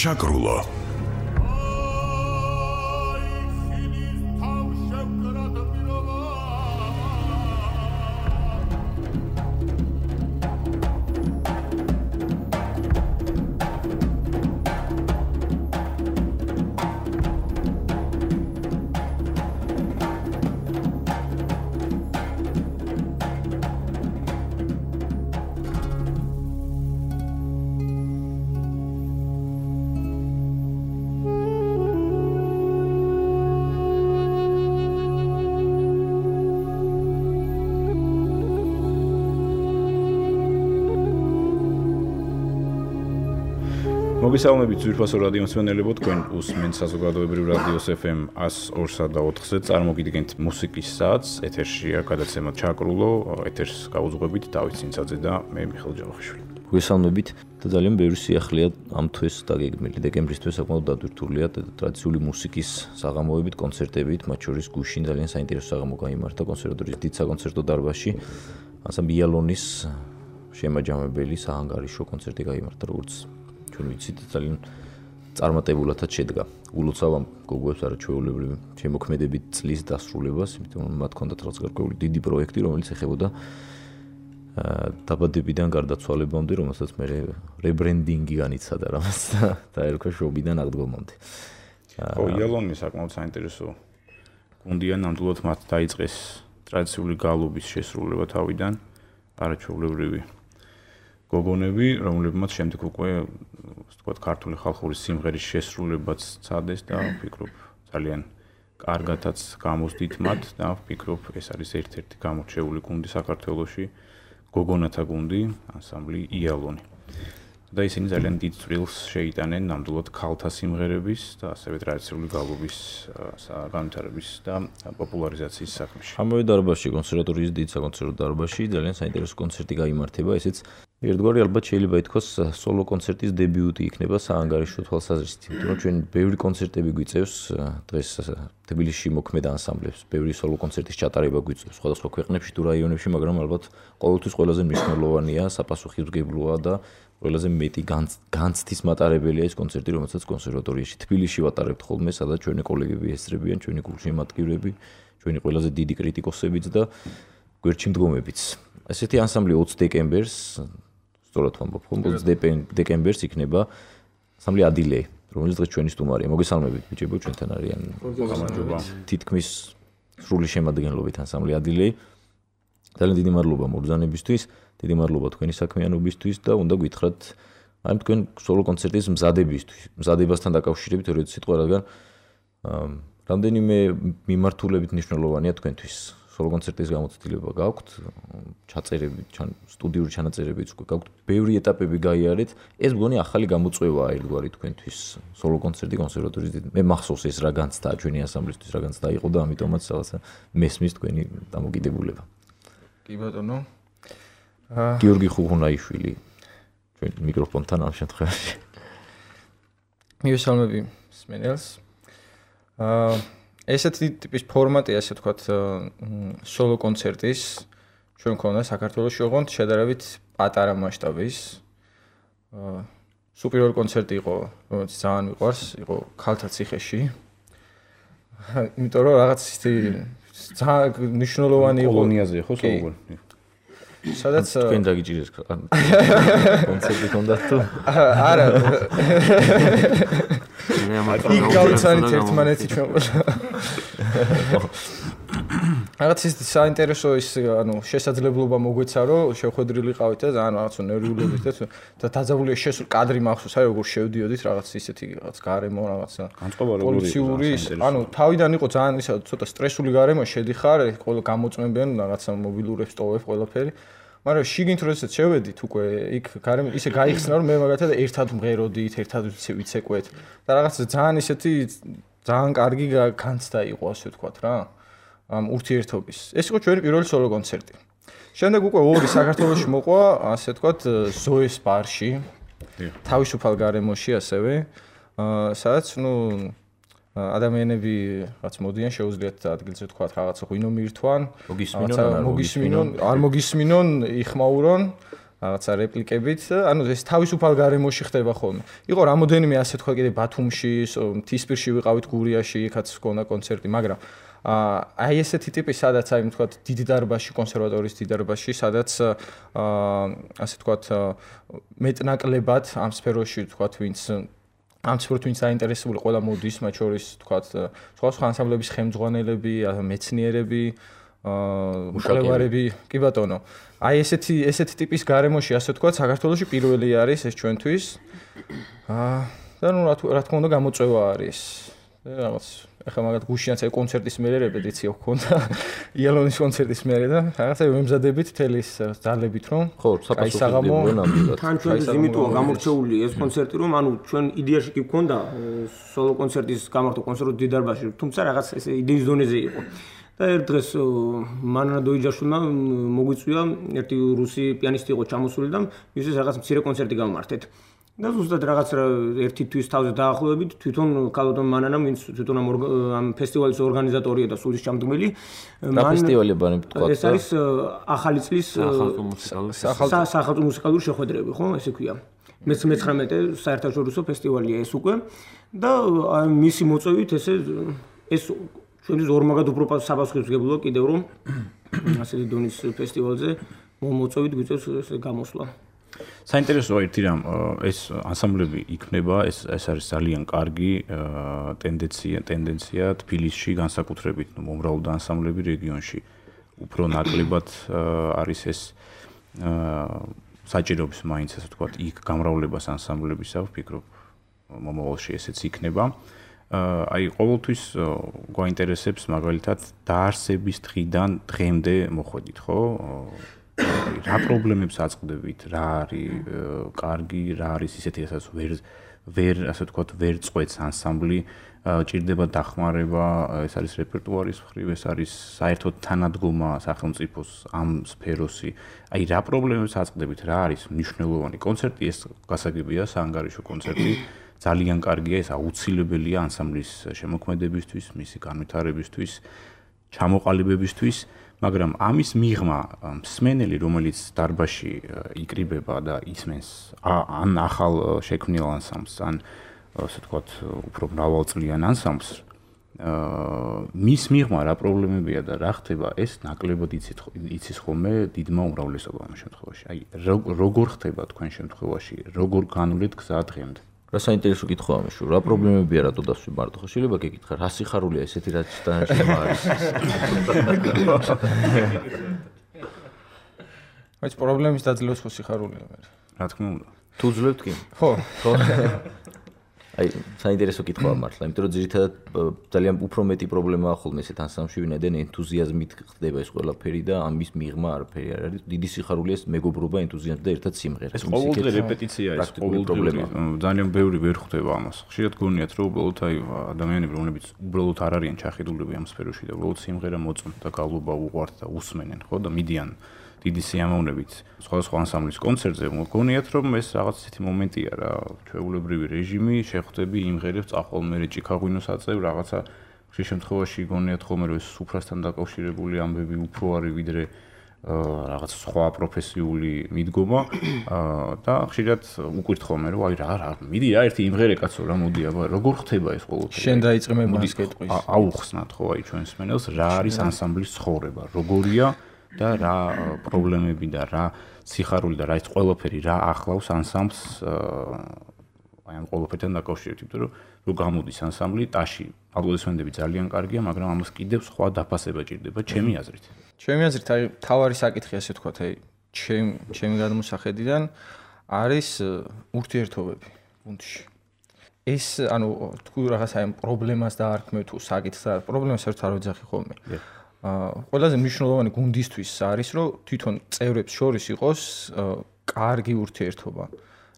ჩაკრულო მოგესალმებით ძვირფასო რადიო მსმენელებო, თქვენ უსმენთ საზოგადოებრივ რადიოს FM 102.4-ზე წარმოგიდგენთ მუსიკის საათს, ეთერშია გადაცემა ჩაკრულო, ეთერს გაუძღვებით დავით ცინცაძე და მე მიხეილ ჯავახიშვილი. მოგესალმებით და ძალიან ბევრი სიახლეა ამ თვეს დაგეგმილი. დეკემბრის თვე საკმაოდ დადვირთულია ტრადიციული მუსიკის საღამოებით, კონცერტებით, მათ შორის გუშინ ძალიან საინტერესო საღამო გაიმართა კონსერვატორიის დიდ საკონცერტო დარბაზში. ანსამბლი იალონის შემაჯამებელი საანგარიშო კონცერტი გაიმართა, როგორც ვიცით, ძალიან წარმატებულადაც შედგა. ულოცავ ამ გოგოებს არაჩვეულებრივი შემოქმედებით წლის დასრულებას, იმიტომ რომ მათ ჰქონდათ რაღაც გარკვეული დიდი პროექტი, რომელიც ეხებოდა დაბადებიდან გარდაცვალებამდე, რომელსაც მე რებრენდინგი განიცადა რამაც და დაერქვა შობიდან აღდგომამდე. ხო, იალონი საკმაოდ საინტერესო გუნდია, ნამდვილად მათ დაიწყეს ტრადიციული გალობის შესრულება თავიდან, არაჩვეულებრივი გოგონები, რომლებმაც შემდეგ უკვე ვთქვათ ქართული ხალხური სიმღერის შესრულებაც ცადეს და ვფიქრობ ძალიან კარგათაც გამოსდით მათ და ვფიქრობ ეს არის ერთ-ერთი გამორჩეული გუნდი საქართველოში, გოგონათა გუნდი, ანსამბლი იალონი. და ისინი ძალიან დიდ წვრილს შეიტანენ ნამდვილად ქალთა სიმღერების და ასევე ტრადიციული გალობის განვითარების და პოპულარიზაციის საქმეში. ამავე დარბაზში, კონსერვატორიის დიდ საკონცერტო დარბაზში ძალიან საინტერესო კონცერტი გაიმართება, ესეც ერთგვარი ალბათ შეიძლება ითქვას სოლო კონცერტის დებიუტი იქნება საანგარიშო თვალსაზრისით, იმიტომ რომ ჩვენ ბევრი კონცერტები გვიწევს დღეს თბილისში მოქმედ ანსამბლებს, ბევრი სოლო კონცერტის ჩატარება გვიწევს სხვადასხვა ქვეყნებში თუ რაიონებში, მაგრამ ალბათ ყოველთვის ყველაზე მნიშვნელოვანია, საპასუხისმგებლოა და ყველაზე მეტი განცდის მატარებელია ეს კონცერტი, რომელსაც კონსერვატორიაში თბილისში ვატარებთ ხოლმე, სადაც ჩვენი კოლეგები ესწრებიან, ჩვენი გულშემატკივრები, ჩვენი ყველაზე დიდი კრიტიკოსებიც და გვერდში მდგომებიც. ესეთი ანსამბლი 20 დეკემბერს სწორად ვამბობ, 20 დეკემბერს იქნება ანსამბლი ადილე, რომელიც დღეს ჩვენი სტუმარია. მოგესალმებით ბიჭებო, ჩვენთან არიან თითქმის სრული შემადგენლობით ანსამბლი ადილე. ძალიან დიდი მადლობა მობრძანებისთვის, დიდი მადლობა თქვენი საქმიანობისთვის და უნდა გითხრათ აი თქვენ სოლო კონცერტის მზადებასთან დაკავშირებით ორი სიტყვა, რადგან რამდენიმე მიმართულებით მნიშვნელოვანია თქვენთვის. სოლო კონცერტის გამოცდილება გაქვთ, ჩაწერები, სტუდიური ჩანაწერებიც უკვე გაქვთ, ბევრი ეტაპები გაიარეთ. ეს მგონი ახალი გამოწვევაა ერთგვარი თქვენთვის. სოლო კონცერტი კონსერვატორიის მე მახსოვს ეს რა განცდა ჩვენი ანსამბლისთვის რა განცდა იყო და ამიტომაც რაღაცა მესმის თქვენი დამოკიდებულება. კი ბატონო. გიორგი ხუღუნაიშვილი ჩვენ მიკროფონთან ამ შემთხვევაში. მივესალმები მსმენელს. ესეთი ტიპის ფორმატი, ასე ვთქვათ, სოლო კონცერტის ჩვენ მქონდა საქართველოში, ოღონდ შედარებით პატარა მასშტაბის. სუპერული კონცერტი იყო, რომელიც ძალიან მიყვარს, იყო ქალთა ციხეში. იმიტომ რომ რაღაც ძალიან მნიშვნელოვანი იყო კოლონიაზე ხო საუბარი. სადაც თქვენ დაგიჭირეს კონცერტი ჰქონდათ თუ? არა. იქ გავიცანით ერთმანეთი ჩვენ ყველა. რაღაც ის საინტერესო ის შესაძლებლობა მოგვეცა რომ შევხვედრილი ყავით და ძალიან რაღაც ნერვიულობით და დაძაბულია შესულ კადრი მახსოვს, აი როგორ შევდიოდით რაღაც ისეთი რაღაც გარემო რაღაცა პოლიციური თავიდან იყო ძალიან ისა ცოტა სტრესული გარემო შედიხარ, ყველა გამოწმებიან რაღაცა მობილურებს ტოვებ ყველაფერი. მაგრამ შიგნით როდესაც შევედით უკვე იქ გარემო ისე გაიხსნა რომ მე მაგათად ერთად მღეროდით, ერთად ვიცეკვეთ და რაღაც ძალიან ისეთი ძალიან კარგი განცდა იყო, ასე ვთქვათ რა. ამ ურთიერთობის. ეს იყო ჩვენი პირველი სოლო კონცერტი. შემდეგ უკვე ორი საქართველოში მოყვა, ასე ვთქვათ, ზოეს ბარში. თავისუფალ გარემოში ასევე, სადაც ადამიანები რაც მოდიან შეუძლიათ ადგილზე ვთქვათ რაღაცა ღვინო მიირთვან, მოგისმინონ, არ მოგისმინონ, იხმაურონ რაღაცა რეპლიკებით, ანუ ეს თავისუფალ გარემოში ხდება ხოლმე. იყო რამოდენიმე ასე თქვა კიდე ბათუმში, მთისპირში ვიყავით გურიაში, იქაც ჰქონდა კონცერტი, მაგრამ აი ესეთი ტიპი სადაც აი თქვა დიდი დარბაზში, კონსერვატორიის დიდი დარბაზში, სადაც ასე თქვა მეტნაკლებად ამ სფეროში თქვა ვინც ამ სფეროში ვინც აინტერესებული ყველა მოდის, მათ შორის თქვა სხვა ანსამბლების ხელმძღვანელები, მეცნიერები, მკვლევარები, კი ბატონო. აი ესეთი ტიპის გარემოში ასე თქვა საქართველოში პირველი არის ეს ჩვენთვის. და ნუ რა თქმა უნდა გამოწვევა არის. რაღაც ახლა მაგათ გუშინაც აი კონცერტის მერე რეპეტიცია ჰქონდა იალონის კონცერტის მერე და რაღაცა ვემზადებით თელის ძალებით რომ ხო საპასუხებლია ნამდვილად თან ჩვენ იმიტოა გამორჩეული ეს კონცერტი რომ ანუ ჩვენ იდეაში კი გქონდა სოლო კონცერტის გამართვა კონსერვატორიის დიდ დარბაზში თუმცა რაღაც ეს იდეის დონეზე იყო და ერთ დღეს მანანა დოიჯაშვილმა მოგვიწვია ერთი რუსი პიანისტი იყო ჩამოსული და მისთვის რაღაც მცირე კონცერტი გავმართეთ და ზუსტად რაღაც ერთი თვის თავზე დაახლოებით თვითონ კალოდონ მანანამ ვინც თვითონ ამ ფესტივალის ორგანიზატორია და სულის ჩამდგმელი რა ფესტივალი ბანები თქვა ეს არის ახალი წლის სახალხო მუსიკალური შეხვედრები ხო ესე ქვია მე-19 საერთაშორისო ფესტივალია ეს უკვე და მისი მოწვევით ეს ჩვენი ორმაგად უფრო საპასუხისმგებლოა კიდევ რომ ასეთი დონის ფესტივალზე მოწვევით გვიწევს ეს გამოსვლა საინტერესოა ერთი რამ ეს ანსამბლები იქნება ეს არის ძალიან კარგი ტენდენცია თბილისში განსაკუთრებით მომრავლდა ანსამბლები რეგიონში უფრო ნაკლებად არის ეს საჭიროების მაინც ასე ვთქვათ იქ გამრავლებას ანსამბლებისა ვფიქრობ მომავალში ესეც იქნება აი ყოველთვის გვაინტერესებს მაგალითად დაარსების დღიდან დღემდე მოხვედით ხო რა პრობლემებს აწყდებით, რა არის კარგი, რა არის ისეთი, რასაც ვერ ასე ვთქვათ, ვერ წყვეტს ანსამბლი, ჭირდება დახმარება, ეს არის რეპერტუარის მხრივ, ეს არის საერთოდ თანადგომა სახელმწიფოს ამ სფეროსი. აი რა პრობლემებს აწყდებით, რა არის მნიშვნელოვანი კონცერტი, ეს გასაგებია, საანგარიშო კონცერტი, ძალიან კარგია, ეს აუცილებელია ანსამბლის შემოქმედებისთვის, მისი განვითარებისთვის, ჩამოყალიბებისთვის. მაგრამ ამის მიღმა მსმენელი რომელიც დარბაზში იკრიბება და ისმენს ან ახალ შექმნილ ანსამბლს ან ასე ვთქვათ უფრო მრავალწლიან ანსამბლს მის მიღმა რა პრობლემებია და რა ხდება ეს ნაკლებად იცის ხოლმე დიდმა უმრავლესობამ ამ შემთხვევაში აი როგორ ხდება თქვენ შემთხვევაში როგორ განვლით გზა დღემდე რა საინტერესო კითხვა ამეშო რა პრობლემებია რატო დასვი მარტო ხო შეიძლება გეკითხა რა სიხარულია ესეთი რაც თანაშემ არის ეს პრობლემის დაძლევს ხო სიხარულია მე რა თქმა უნდა თუ ძლევთ კი ხო აი საინტერესო კითხვა მართლა იმიტომ რომ ძირითადად ძალიან უფრო მეტი პრობლემაა ხოლმე ესეთ ანსამბლში ვინაიდან ენთუზიაზმით ხდება ეს ყველაფერი და ამის მიღმა არაფერი არ არის დიდი სიხარულია ეს მეგობრობა ენთუზიაზმი და ერთად სიმღერა ეს ყოველდღე რეპეტიცია ეს ყოველდღე ძალიან ბევრი ვერ ხვდება ამას ხშირად გონიათ რომ უბრალოდ აი ადამიანები რომლებიც უბრალოდ არ არიან ჩახედულები ამ სფეროში და უბრალოდ სიმღერა მოწონთ და გავლობა უყვართ და უსმენენ ხო და მიდიან დიდი სიამოვნებით სხვადასხვა ანსამბლის კონცერტზე მოგონიათ რომ ეს რაღაც ისეთი მომენტია რა ჩვეულებრივი რეჟიმი შეხვდები იმღერებს წახვალ მე ჭიქაღვინოს აწევ რაღაცა ხშირ შემთხვევაში გონიათ ხოლმე რომ ეს სუფრასთან დაკავშირებული ამბები უფრო არის ვიდრე რაღაც სხვა პროფესიული მიდგომა და ხშირად უკვირთ ხოლმე რომ აი რა მიდი რა ერთი იმღერე კაცო რა მოდი აბა როგორ ხდება ეს ყოველთვის შენ დაიწყმე მას კეტყვის აუხსნათ ხო აი ჩვენს მენელს რა არის ანსამბლის ცხოვრება როგორია და რა პრობლემები და რა სიხარული და რა ის ყველაფერი რა ახლავს ანსამბლს აი ამ ყველაფერთან დაკავშირებით, იმიტომ რომ გამოდის ანსამბლი ტაში, ალგორითმები ძალიან კარგია, მაგრამ ამას კიდევ სხვა დაფასება ჭირდება ჩემი აზრით. ჩემი აზრით, აი თავარი საკითხი ასე ვთქვათ, აი ჩემი გადმოსახედიდან არის ურთიერთობები გუნდში. ეს ანუ თუ რაღაც აი პრობლემას დაარქმევ თუ საკითხს და პრობლემას საერთოდ არ ვეძახი ხოლმე. ყველაზე მნიშვნელოვანი გუნდისთვის არის, რომ თვითონ წევრებს შორის იყოს კარგი ურთიერთობა.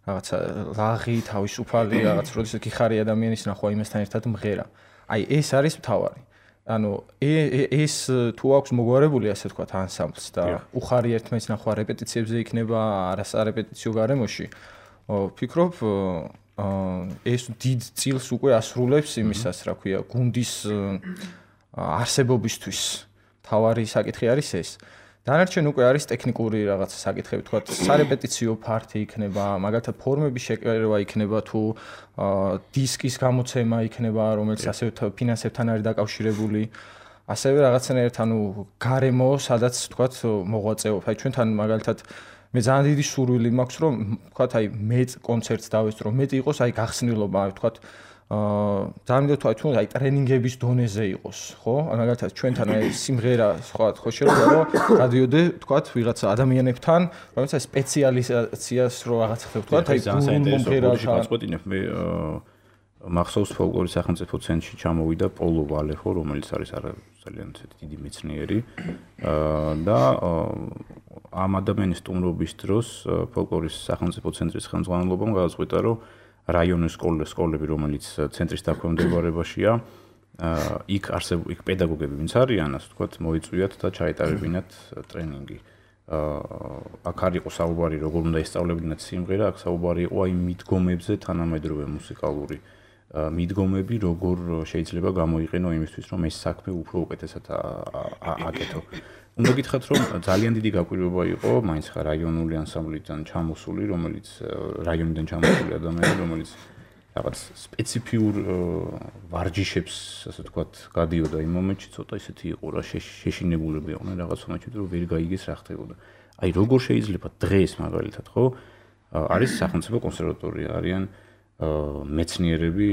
რაღაცა ლაღი, თავისუფალი, რაღაც როდესაც გიხარი ადამიანის ნახვა იმასთან ერთად მღერა. აი ეს არის მთავარი. ანუ ეს თუ აქვს მოგვარებული, ასე ვთქვათ, ანსამბლს და უხარი ერთმანეთს ნახვა რეპეტიციებზე იქნება, არასარეპეტიციო გარემოში, ვფიქრობ ეს დიდ წილს უკვე ასრულებს იმისას, რა ქვია, გუნდის არსებობისთვის. თავარი საკითხი არის ეს. დანარჩენ უკვე არის ტექნიკური რაღაცა საკითხები, თქვა სარეპეტიციო ფართი იქნება, მაგალითად ფორმების შეკერება იქნება თუ დისკის გამოცემა იქნება, რომელიც ასევე ფინანსებთან არის დაკავშირებული. ასევე რაღაცნაირად გარემო, სადაც თქვა მოღვაწეობ. აი ჩვენთან მაგალითად მე ძალიან დიდი სურვილი მაქვს, რომ თქვა მე კონცერტს დავესწრო, მეტი იყოს გახსნილობა, თქვა ძალიან მინდოდა თუ ტრენინგების დონეზე იყოს, ხო? მაგალითად ჩვენთან სიმღერა სხვა ხო შეიძლება რომ გადიოდე თქვა ვიღაცა ადამიანებთან, რომელსაც სპეციალიზაციას რო რაღაც ხდება, თქვა მომღერალთან. გასწყვეტინებ მე მახსოვს ფოლკლორის სახელმწიფო ცენტრში ჩამოვიდა პოლო ვალეხო, რომელიც არის ძალიან დიდი მეცნიერი და ამ ადამიანის სტუმრობის დროს ფოლკლორის სახელმწიფო ცენტრის ხელმძღვანელობამ გადაწყვიტა, რომ რაიონის სკოლები, რომელიც ცენტრის დაქვემდებარებაშია, იქ პედაგოგები ვინც არიან, ასე ვთქვათ, მოიწვიათ და ჩაეტარებინათ ტრენინგი. აქ არ იყო საუბარი, როგორ უნდა ესწავლებინათ სიმღერა, აქ საუბარი იყო მიდგომებზე, თანამედროვე მუსიკალური მიდგომები, როგორ შეიძლება გამოიყენო იმისთვის, რომ ეს საქმე უფრო უკეთესად აკეთო. უნდა გითხრათ, რომ ძალიან დიდი გაკვირვება იყო მაინც რაიონული ანსამბლიდან ჩამოსული, რომელიც რაიონიდან ჩამოსული ადამიანი, რომელიც რაღაც სპეციფიურ ვარჯიშებს, ასე ვთქვათ, გადიოდა იმ მომენტში, ცოტა ისეთი იყო რა, შეშინებულები იყვნენ რაღაც მომენტში, რომ ვერ გაიგეს რა ხდებოდა. აი როგორ შეიძლება დღეს მაგალითად, ხო? არის სახელმწიფო კონსერვატორია, არიან მეცნიერები,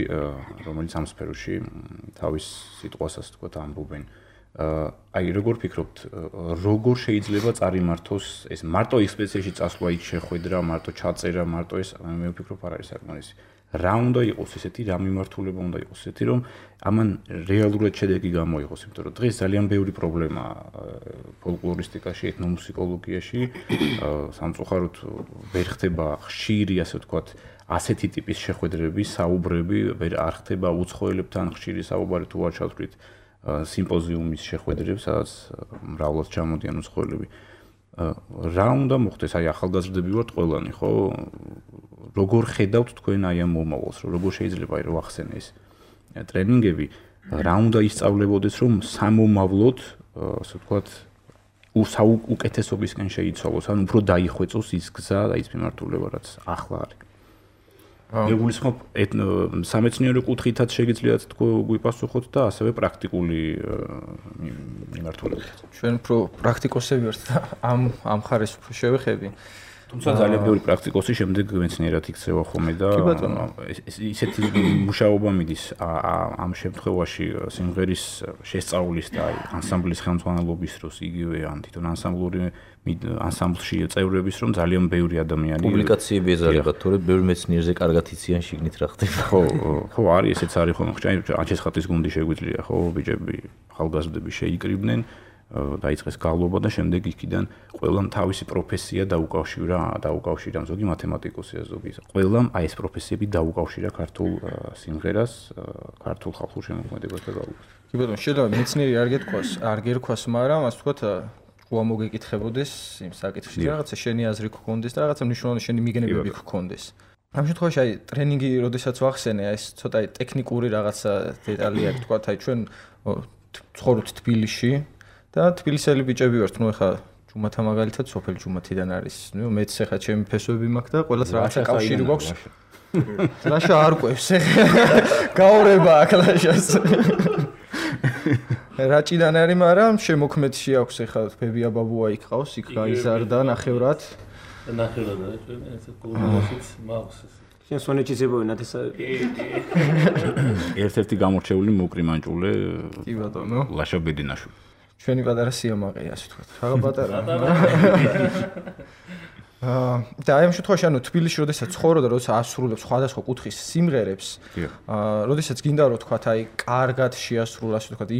რომელიც ამ სფეროში თავის სიტყვას, ასე ვთქვათ, ამბობენ. აი როგორ ფიქრობთ, როგორ შეიძლება წარიმართოს ეს მარტო ექსპედიციაში წასვლა, იქ შეხვედრა, მარტო ჩაწერა, მარტო ეს მე ვფიქრობ არ არის საკმარისი. რა უნდა იყოს ესეთი, რა მიმართულება უნდა იყოს ესეთი, რომ ამან რეალურად შედეგი გამოიღოს, იმიტომ რომ დღეს ძალიან ბევრი პრობლემაა ფოლკლორისტიკაში, ეთნომუსიკოლოგიაში, სამწუხაროდ ვერ ხდება ხშირი, ასე ვთქვათ, ასეთი ტიპის შეხვედრები, საუბრები, არ ხდება უცხოელებთან ხშირი საუბარი თუ არ ჩავთვლით სიმპოზიუმის შეხვედრებს, სადაც მრავლად ჩამოდიან უცხოელები. რა უნდა მოხდეს? აი ახალგაზრდები ვართ ყველანი, ხო? როგორ ხედავთ თქვენ აი ამ მომავალს, როგორ შეიძლება რომ ახსენე ეს ტრენინგები, რა უნდა ისწავლებოდეს, რომ სამომავლოდ, ასე ვთქვათ, უკეთესობისკენ შეიცვალოს, ან უფრო დაიხვეწოს ის გზა და ის მიმართულება, რაც ახლა არის. მე გულისხმობ სამეცნიერო კუთხითაც შეგიძლიათ გვიპასუხოთ და ასევე პრაქტიკული მიმართულებითაც. ჩვენ უფრო პრაქტიკოსები ვართ და ამ ხარეს უფრო შევეხები. თუმცა ძალიან ბევრი პრაქტიკოსი შემდეგ მეცნიერად იქცევა ხოლმე და ისეთი მუშაობა მიდის ამ შემთხვევაში სიმღერის შესწავლის და ანსამბლის ხელმძღვანელობის დროს იგივე ან თვითონ ანსამბლში წევრების რომ ძალიან ბევრი ადამიანი პუბლიკაციები ეზარებათ, თორე ბევრი მეცნიერზე კარგად იციან შიგნით რა ხდება. ხო, არის ესეც არის ხოლმე. აჩესხატის გუნდი შეგვიძლია, ხო, ბიჭები, ახალგაზრდები შეიკრიბნენ დაიწყეს გავლობა და შემდეგ იქიდან ყველამ თავისი პროფესია დაუკავშირა ზოგი მათემატიკოსია, ზოგი. ყველამ აი ეს პროფესიები დაუკავშირა ქართულ სიმღერას, ქართულ ხალხურ შემოქმედებას და გავლობას. კი ბატონო, შეიძლება მეცნიერი არ გერქვას, მაგრამ ასე ვთქვათ, ყვა მოგეკითხებოდეს იმ საკითხში, რაღაცა შენი აზრი გქონდეს და რაღაცა მნიშვნელოვანი შენი მიგნებები გქონდეს. ამ შემთხვევაში აი ტრენინგი, როდესაც ვახსენე, ეს ცოტა ტექნიკური რაღაცა დეტალი არის, ვთქვათ, აი ჩვენ ცხოვრობთ თბილისში და თბილისელი ბიჭები ვართ, ნუ ეხა ჯუმათა მაგალითად სოფელ ჯუმათიდან არის. ნუ მეც ეხა ჩემი ფესვები მაქვს და ყველას რაღაცა კავშირი გვაქვს. ლაშა არ ყვევს ეხა. გაურება აქ ლაშას. რაჭიდან არის, მაგრამ შემოქმედში აქვს ეხა ბებია ბაბუა იქ ყავს, იქ გაიზარდა ნახევრად. ნახევრად არის ჩვენ ესე კულტურაშიც მაქვს. შენ სონეჩის ებოვინათ ეს ერთ-ერთი გამორჩეული მოკრიმანჭულე. კი ბატონო. ლაშა ბედინაშვილი. ჩვენი პატარა სიამაყეა, ასე ვთქვათ. რაღა პატარა. და აი ამ შემთხვევაში ანუ თბილისში როდესაც ცხოვრობ და როდესაც ასრულებ სხვადასხვა კუთხის სიმღერებს, როდესაც გინდა რომ თქვათ აი კარგად შეასრულო, ასე ვთქვათ,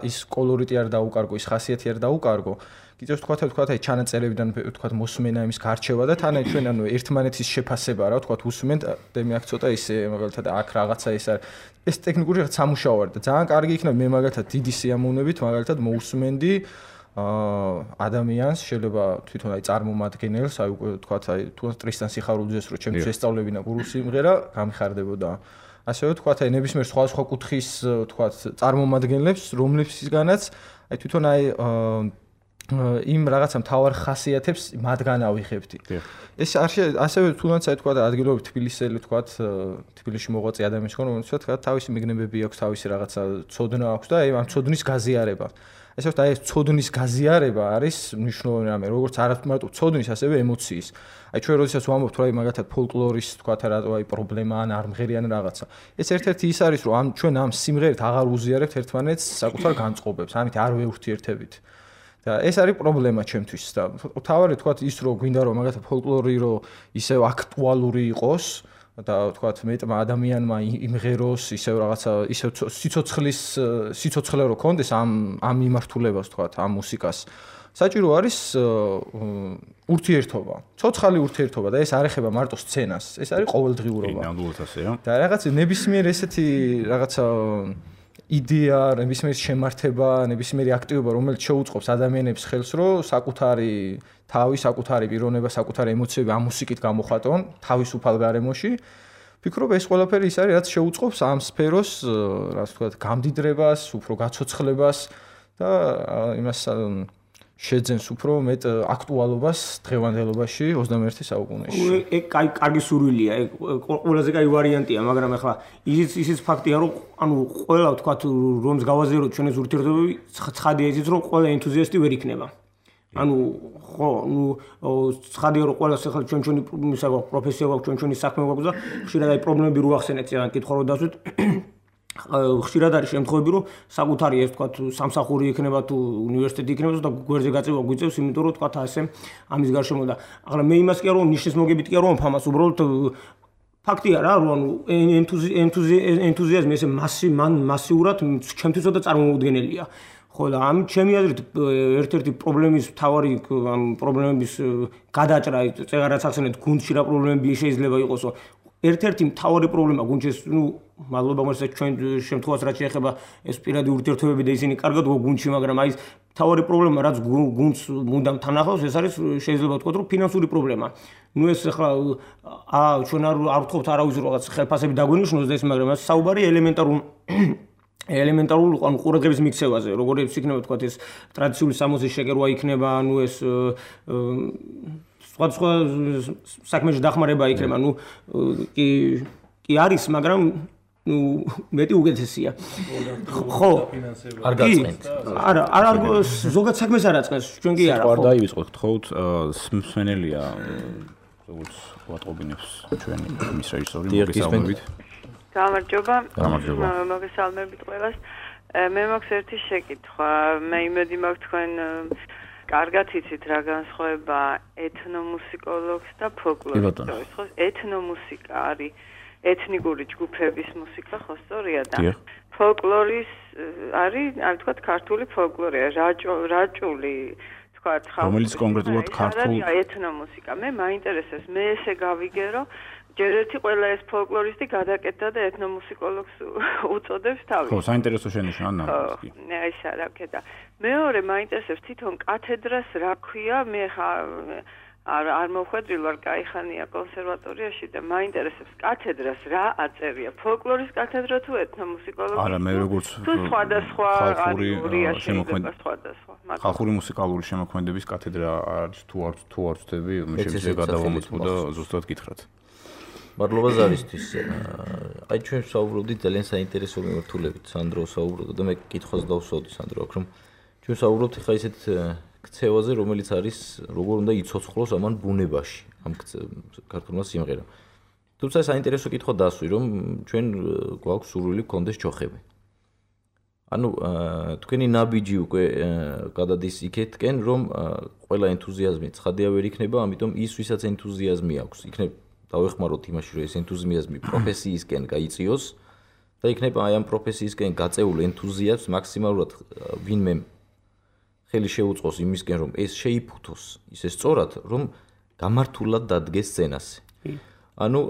ის კოლორიტი არ დაუკარგო, ის ხასიათი არ დაუკარგო. კიდევ ვთქვათ აი ჩანაწერებიდან ვთქვათ მოსმენა იმის გარჩევა და თან აი ჩვენ ანუ ერთმანეთის შეფასება რა ვთქვათ უსმენთ და მე აქ ცოტა ისე მაგალითად აქ რაღაცა ის არის ეს ტექნიკური რაღაც სამუშაო არის და ძალიან კარგი იქნება მე მაგალითად დიდი სიამოვნებით მაგალითად მოусმენდი ადამიანს შეიძლება თვითონ აი წარმომადგენელს აი უკვე ვთქვათ აი თუ ტრისტან სიხარულიძეს რო ჩემთვის ესწავლებინა გურულ სიმღერა გამიხარდებოდა ასევე ვთქვათ აი ნებისმიერ სხვა კუთხის ვთქვათ წარმომადგენლებს რომლებსგანაც აი თვითონ აი იმ რაღაცა მთავარ ხასიათებს მათგან ავიღებდი. ეს ასევე თუნდაც აი თქვა და ადგილობრივ თბილისელი თქვა თბილისში მოღვაწე ადამიანის ხო რომ თქვა თავისი მიგნებები აქვს, თავისი რაღაცა ცოდნა აქვს და აი ამ ცოდნის გაზიარება. ესე ვთქვათ, აი ეს ცოდნის გაზიარება არის მნიშვნელოვანი რამე, როგორც არა მარტო ცოდნის, ასევე ემოციის. აი ჩვენ როდესაც ვამბობთ, რომ აი მაგათად ფოლკლორის თქვა რატო აი პრობლემა ან არ მღერიან რაღაცა. ეს ერთ-ერთი ის არის, რომ ჩვენ ამ სიმღერით აღარ უზიარებთ ერთმანეთს საკუთარ განწყობებს, ამით არ ვეურთიერთებით. და ეს არის პრობლემა ჩემთვის და თავარი თქვა ის რომ გვინდა რომ მაგათად ფოლკლორი რომ ისევ აქტუალური იყოს და თქვა მეტმა ადამიანმა იმღეროს ისევ რაღაცა ისევ სიცოცხლე რო კონდეს ამ მიმართულებას თქვა ამ მუსიკას საჭირო არის ურთიერთობა, ცოცხალი ურთიერთობა და ეს არ ეხება მარტო სცენას, ეს არის ყოველდღიურობა. ნამდვილად ასეა. და რაღაც ნებისმიერ ესეთი რაღაცა იდეა, ნებისმიერი შემართება, ნებისმიერი აქტივობა, რომელიც შეუწყობს ადამიანებს ხელს, რომ საკუთარი თავი, საკუთარი პიროვნება, საკუთარი ემოციები ამ მუსიკით გამოხატონ თავისუფალ გარემოში. ვფიქრობ, ეს ყველაფერი ის არის, რაც შეუწყობს ამ სფეროს, რაც ვთქვათ, გამდიდრებას, უფრო გაცოცხლებას და იმას შეძენს უფრო მეტ აქტუალობას დღევანდელობაში 21 საუკუნეში. ეგ კარგი სურვილია, ეგ ყველაზე კაი ვარიანტია, მაგრამ ახლა ისიც ფაქტია, რომ ანუ ყველა ვთქვათ, რომს გავაზიაროთ ჩვენს ურთიერთობები, ცხადია ისიც, რომ ყველა ენთუზიასტი ვერ იქნება. ანუ ხო, ცხადია, რომ ყველას ახლა ჩვენი პროფესია გვაქვს, ჩვენი საქმე გვაქვს და ხშირად აი პრობლემები რო ახსენეთ, ან კითხვა რო დასვით ხშირად არის შემთხვევები, რომ საკუთარი ეს თქვათ სამსახური იქნება თუ უნივერსიტეტი იქნება და გვერდზე გაწევა გვიწევს, იმიტომ რომ თქვათ ასე ამის გარშემო და ახლა მე იმას კი არ რომ ნიშნის მოგებით კი არ რომ ფამას უბრალოდ ფაქტია რა, რომ ანუ ენთუზიაზმი ესე მასიურად ჩემთვისო და წარმოუდგენელია. ხო და ამ ჩემი აზრით ერთ-ერთი პრობლემის მთავარი პრობლემების გადაჭრა წეგარაც ახსენეთ გუნდში რა პრობლემები შეიძლება იყოსო. ერთ-ერთი მთავარი პრობლემა გუნდში, მადლობა მოსეს ჩვენ შემთხვევას რაც შეეხება ეს პირადი ურთიერთობები და ისინი კარგად გუნდში, მაგრამ აი მთავარი პრობლემა რაც გუნდს მუდამ თან ახლავს, ეს არის შეიძლება ვთქვათ, რომ ფინანსური პრობლემა. ნუ ეს ახლა ჩვენ არ ვთქვათ არავის რაღაც ხელფასები დაგვენიშნოს და ეს, მაგრამ ეს საუბარი ელემენტარულ ანუ ყურადღების მიქცევაზე, როგორიც იქნება ვთქვათ ეს ტრადიციული სამოსის შეგერვა იქნება, ანუ ეს სხვა საქმეში დახმარება იქნება, ნუ კი არის, მაგრამ ნუ მეტი უკეთესია. ხო, არ გაწყენთ. არა, ზოგადად საქმეს არ აწყენს, ჩვენ კი არა. ხო, არ დაივიწყოთ, გთხოვთ, მსმენელია როგორც ვატყობინებს ჩვენი მის რეჟისორი მოგესალმებით. გამარჯობა. მოგესალმებით ყველას. მე მაქვს ერთი შეკითხვა. მე იმედი მაქვს თქვენ კარგად იცით რა განსხვავება ეთნომუსიკოლოგს და ფოლკლორისტს. ხო, ეთნომუსიკა არის ეთნიკური ჯგუფების მუსიკა, ხო სწორია და ფოლკლორის არის, აი ვთქვათ, ქართული ფოლკლორია, რაჭული, ვთქვათ, რომელიც კონკრეტულად ქართულ ეთნომუსიკა. მე მაინტერესებს, მე ესე გავიგე, რომ ჯერ ერთი ყველა ეს ფოლკლორისტი გადაკეთდა და ეთნომუსიკოლოგს უწოდებს თავის. ხო, საინტერესო შენიშვნა ნამდვილად კი. აი რა ქედა. მეორე მაინტერესებს თვითონ კათედრას რა ქვია, მე არ მოვხვედრილ ვარ კაიხანია კონსერვატორიაში და მაინტერესებს კათედრას რა აწერია. ფოლკლორის კათედრა თუ ეთნომუსიკოლოგია? არა, მე როგორც სხვადასხვა ხალხური მუსიკალური შემოქმედების კათედრა არის თუ არ ვწდები, მე შეიძლება გადავამოწმო და ზუსტად გითხრათ. მადლობა ზარისთვის. აი ჩვენ საუბრობდით ძალიან საინტერესო მიმართულებით, სანდრო საუბრობდა და მე კითხვას დავსვავდი სანდრო აქ რომ ჩვენ საუბრობთ ხა ისეთ ქცევაზე, რომელიც არის როგორ უნდა იცოცხლოს ამან ბუნებაში, ამ ქართულმა სიმღერამ. თუმცა საინტერესო კითხვა დასვი, რომ ჩვენ გვაქვს სურვილი გქონდეს ჩოხები. ანუ თქვენი ნაბიჯი უკვე გადადის იქეთკენ, რომ ყველა ენთუზიაზმი ცხადია ვერ იქნება, ამიტომ ის ვისაც ენთუზიაზმი აქვს, იქნება დავეხმაროთ იმაში, რომ ეს ენთუზიაზმი პროფესიისკენ გაიწიოს და იქნება აი ამ პროფესიისკენ გაწეულ ენთუზიაზმს მაქსიმალურად ვინმე ხელი შეუწყოს იმისკენ, რომ ეს შეიფუთოს ისე სწორად, რომ გამართულად დადგეს სცენაზე. ანუ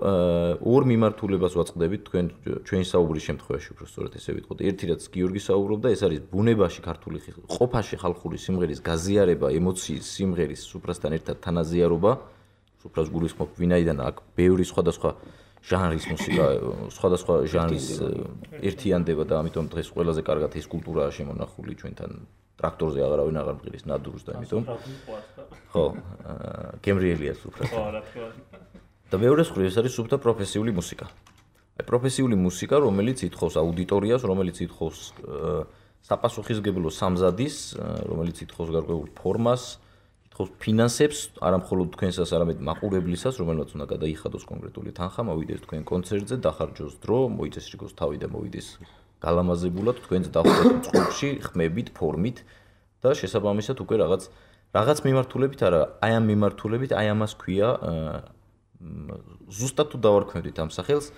ორ მიმართულებას ვაწყდებით ჩვენი საუბრის შემთხვევაში, უფრო სწორად ესე ვიტყოდ. ერთი რაც გიორგი საუბრობდა, ეს არის ბუნებაში ქართული ყოფაში ხალხური სიმღერის გაზიარება, ემოციის სიმღერის სუფრასთან ერთად თანაზიარობა. სუფრას გულისხმობ, ვინაიდან აქ ბევრი სხვადასხვა ჟანრის მუსიკა, სხვადასხვა ჟანრის ერთიანდება და ამიტომ დღეს ყველაზე კარგად ეს კულტურაა შემონახული ჩვენთან ტრაქტორზე აღარავინ აღარ მყირის ნადურს და ამიტომ ხო გემრიელია სუფრა და მეორე მხრივ ეს არის სუფთა პროფესიული მუსიკა აი პროფესიული მუსიკა რომელიც ითხოვს აუდიტორიას რომელიც ითხოვს საპასუხისმგებლო სამზადის რომელიც ითხოვს გარკვეულ ფორმას ითხოვს ფინანსებს არა მხოლოდ თქვენსას არამედ მაყურებლისას რომელსაც უნდა გადაიხადოს კონკრეტული თანხა მოვიდეს თქვენ კონცერტზე დახარჯოს დრო მოიწეს რიგოს თავი და მოვიდეს გალამაზებულად თქვენს დახვდეთ წყობში ხმებით ფორმით და შესაბამისად უკვე რაღაც მიმართულებით არა აი ამ მიმართულებით აი ამას ქვია ზუსტად თუ დავარქმევდით ამ სახელს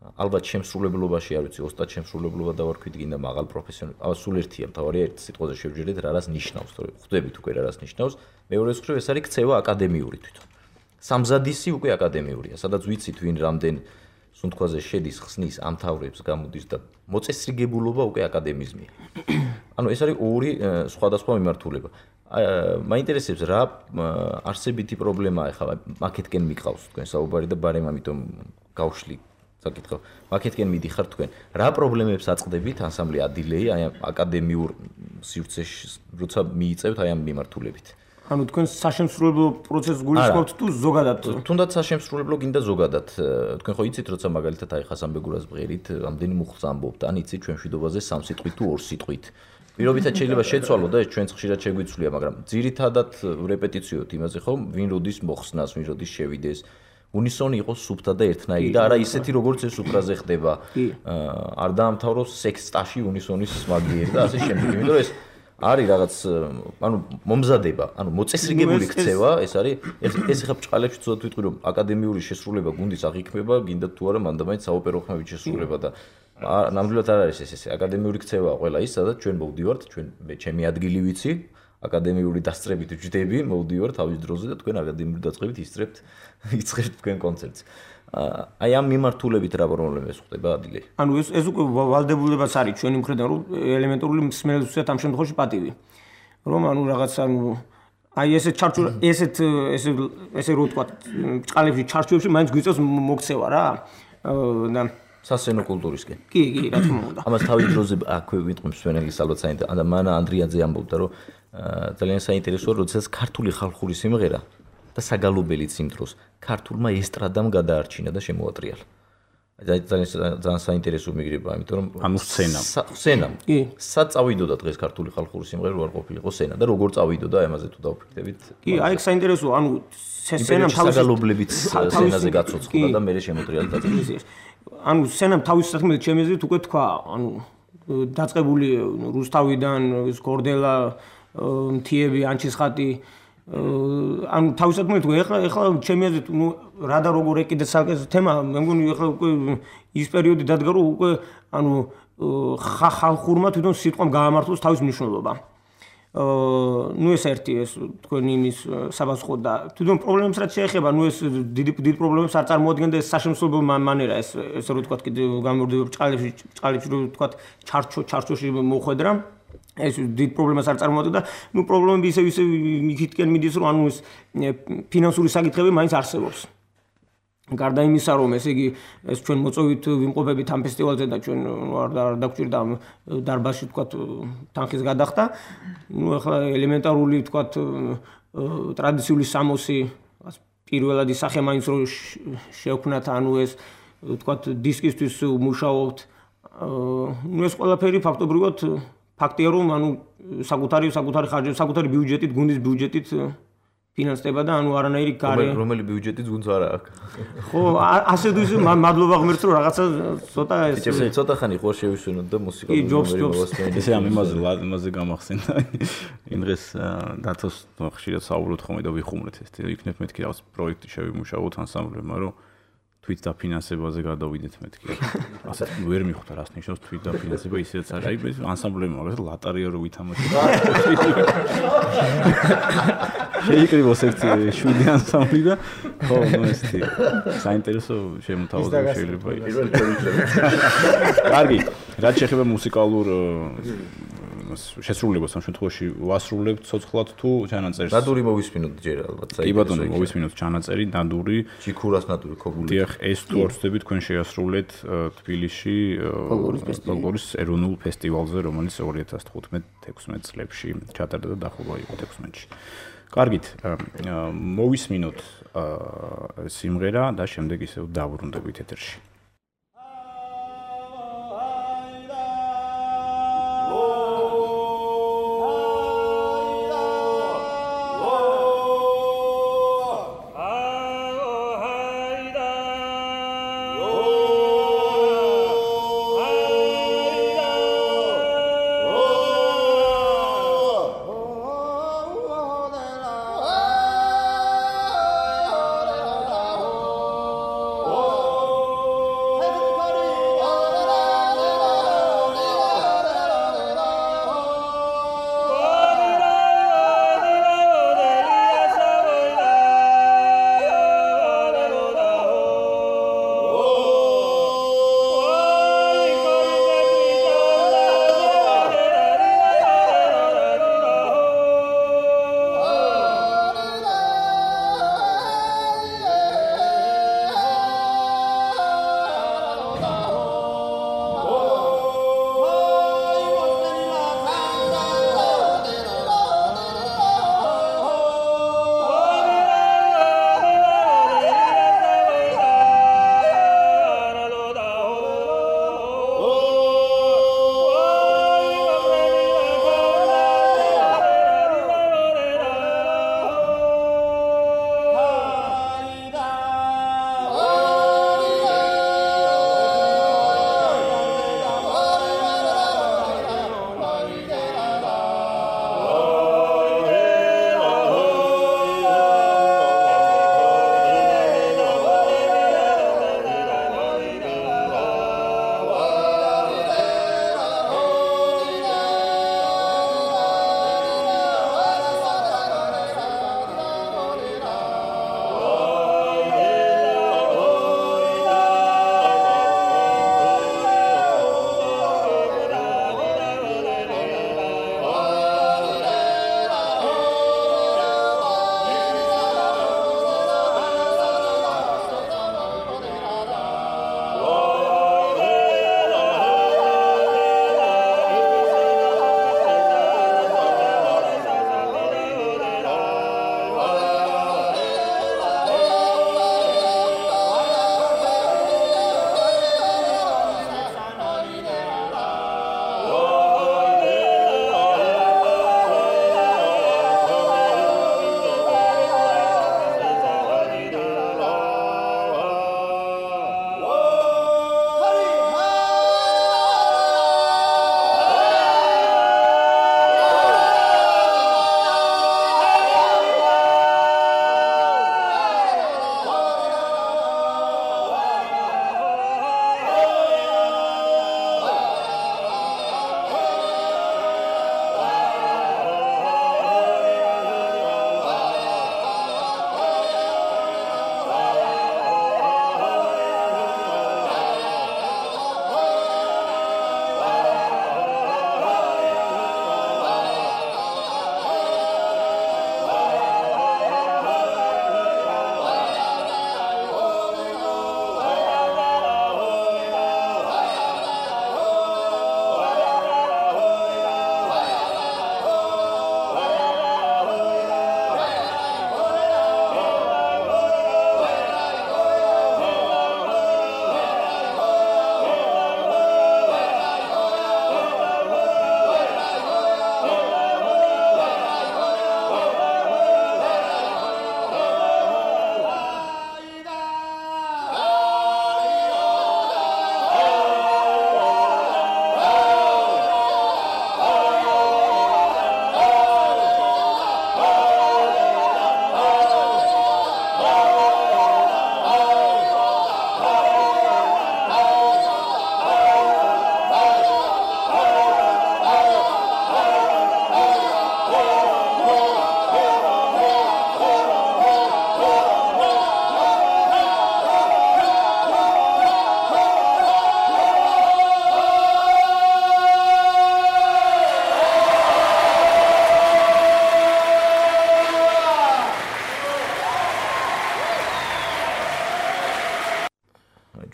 ალბათ შემსრულებლობაში არ ვიცი ოსტატ შემსრულებლობა დავარქვით გინდა მაღალ პროფესიონალ აბა სულ ერთია მთავარია ერთ სიტყვაზე შევჯერეთ რა რას ნიშნავს თორე ხვდებით უკვე რა რას ნიშნავს მეორე მხრივ ეს არის ქცევა აკადემიური თვითონ სამზადისი უკვე აკადემიურია სადაც ვიცით ვინ რამდენ სუნთქვაზე შედის ხსნის ამთავრებს გამოდის და მოწესრიგებულობა უკვე აკადემიზმია ანუ ეს არის ორი სხვადასხვა მიმართულება მაინტერესებს რა არსებითი პრობლემაა ხა მაკეთკენ მიყავს თქვენ საუბარი და ბარემ ამიტომ გავშლი საკითხო მაკეთკენ მიდიხარ თქვენ რა პრობლემებს აწყდებით ანსამბლი ადილეი აი აკადემიურ სივრცეში როცა მიიწევთ აი ამ მიმართულებით ანუ თქვენ საშემსრულებლო პროცესს გულისხმობთ თუ ზოგადად თუნდაც საშემსრულებლო გინდა ზოგადად თქვენ ხო იცით როცა მაგალითად აი ხასანბეგურას ბღერით ამდენი მუხლს ამბობთ ან იცით ჩვენ მშვიდობაზე 3 სიტყვით თუ 2 სიტყვით პირობითად შეიძლება შეცვალო და ეს ჩვენც ხშირად შეგვიცვლია მაგრამ ძირითადად რეპეტიციოთ იმაზე ხო ვინ როდის მოხსნას ვინ როდის შევიდეს უნისონი იყოს სუფთა და ერთნაირი და არა ისეთი როგორც ეს სუფრაზე ხდება არ დაამთავროს სექსტაში უნისონის მაგიერი და ასე შემდეგ იმიტომ რომ ეს არის რაღაც ანუ მომზადება ანუ მოწესრიგებული ქცევა ეს არის ეს ხა ბჭყალებში ცოტა ვიტყვი რომ აკადემიური შესრულება გუნდის აღიქმება გინდა თუ არა მანდამაინც საოპერო ხმებით შესრულება და ნამდვილად არ არის ეს აკადემიური ქცევა ყველა ის სადაც ჩვენ მოვდივართ ჩვენ ჩემი ადგილი ვიცი აკადემიური დასწრებით ვჯდები მოვდივართ თავის დროზე და თქვენ აკადემიური დაწყებით იწყებთ თქვენ კონცერტს აი ამ მიმართულებით რა პრობლემებს ხდება ადილე ანუ ეს უკვე ვალდებულებაც არის ჩვენი მხრიდან რომ ელემენტარული მსმენელსაც ამ შემთხვევაში პატივი რომ ანუ რაღაც ანუ აი ესეთ ჩარჩო ესე რო ვთქვა ბჭყალებში ჩარჩოებში მაინც გვიწევს მოქცევა რა და სასცენო კულტურისკენ. კი, რა თქმა უნდა. ამას თავის დროზე აქვე ვიტყვი მსვენელის ალბათ საინტერესო. და მანა ანდრიაძე ამბობდა, რომ ძალიან საინტერესოა, როდესაც ქართული ხალხური სიმღერა და საგალობელიც იმ დროს ქართულმა ესტრადამ გადაარჩინა და შემოატრიალა. ძალიან საინტერესო მიგრება, იმიტომ რომ ანუ სცენამ. კი. სად წავიდოდა დღეს ქართული ხალხური სიმღერა რო არ ყოფილიყო სცენა და როგორ წავიდოდა ამაზე თუ დავფიქრდებით? კი, აი ეს საინტერესოა, ანუ სცენამ თავის საგალობლებით სცენაზე გაცოცხლდა და მე შემოტრიალა დაწყებილის. ანუ სცენამ თავის საქმეზე ჩემი აზრით უკვე თქვა, ანუ დაწყებული რუსთავიდან, გორდელა, მთიები, ანჩისხატი ანუ თავის საქმეზე თქვა, ეხლა ჩემი აზრით, ნუ რა და როგორ ეკიდე საკეს თემა, მე მგონი ეხლა უკვე ის პერიოდი დადგა, რომ უკვე ანუ ხალხურმა თვითონ სიტყვამ გაამართლოს თავის მნიშვნელობა. ნუ ეს ერთი ეს თქვენი იმის საპასუხო და თვითონ პრობლემებს რაც შეეხება, ნუ ეს დიდი პრობლემებს არ წარმოადგენდა ეს საშემსრულებლო მანერა, ეს რო თქვა კიდე გამორდება ბჭყალებში რო თქვა ჩარჩოში მოხვედრა, ეს დიდ პრობლემას არ წარმოადგენდა. ნუ პრობლემები ისე იქითკენ მიდის, რომ ანუ ეს ფინანსური საკითხები მაინც არსებობს. გარდა იმისა, რომ ესე იგი ეს ჩვენ მოწვევით ვიმყოფებით ამ ფესტივალზე და ჩვენ არ დაგვჭირდა ამ დარბაზში თქვა თანხის გადახდა. ნუ ახლა ელემენტარული თქვა ტრადიციული სამოსი პირველადი სახე მაინც რო შევქმნათ, ანუ ეს თქვა დისკისთვის მუშაობთ. ნუ ეს ყველაფერი ფაქტობრივად ფაქტია, რომ ანუ საკუთარი ხარჯები, საკუთარი ბიუჯეტით, გუნდის ბიუჯეტით ფინანსდება და ანუ არანაირი გარე რომელი ბიუჯეტიც გუნდს არ აქვს. ხო, ასე თუ ისე მადლობა ღმერთს რომ რაღაცა ცოტა ეს ცოტა ხანი ხო შევისვენოთ და მუსიკალური ნომერი მოვასწრებთ. ესე ამ იმაზე გამახსენდა. იმ დღეს დათოს ხშირად საუბრობთ ხოლმე და ვიხუმრეთ ეს იქნებ მეთქი რაღაც პროექტი შევიმუშაოთ ანსამბლებმა, რომ თვით დაფინანსებაზე გადავიდეთ მეთქი. ასე ვერ მიხვდა რას ნიშნავს თვით დაფინანსება, ისედაც არის. აი ეს ანსამბლები მაგალითად ლატარია რო ვითამაშოთ. შეიკრიბოს ერთი 7 ანსამბლი და ხო, ნუ ესეთი საინტერესო შემოთავაზება შეიძლება იყოს. კარგი, რაც შეეხება მუსიკალურ შესრულებას ამ შემთხვევაში ვასრულებთ ცოცხლად თუ ჩანაწერს? ნადური მოვისმინოთ ჯერ ალბათ. კი ბატონო, მოვისმინოთ ჩანაწერი, ნადური. ჩიქურას ნადური ქოგული. დიახ, ეს თუ არ ვწდები თქვენ შეასრულეთ თბილისში ფოლკლორის ეროვნულ ფესტივალზე, რომელიც 2015-16 წლებში ჩატარდა და დახურვა იყო 16-ში. კარგით, მოვისმინოთ სიმღერა და შემდეგ ისევ დავბრუნდებით ეთერში. Oh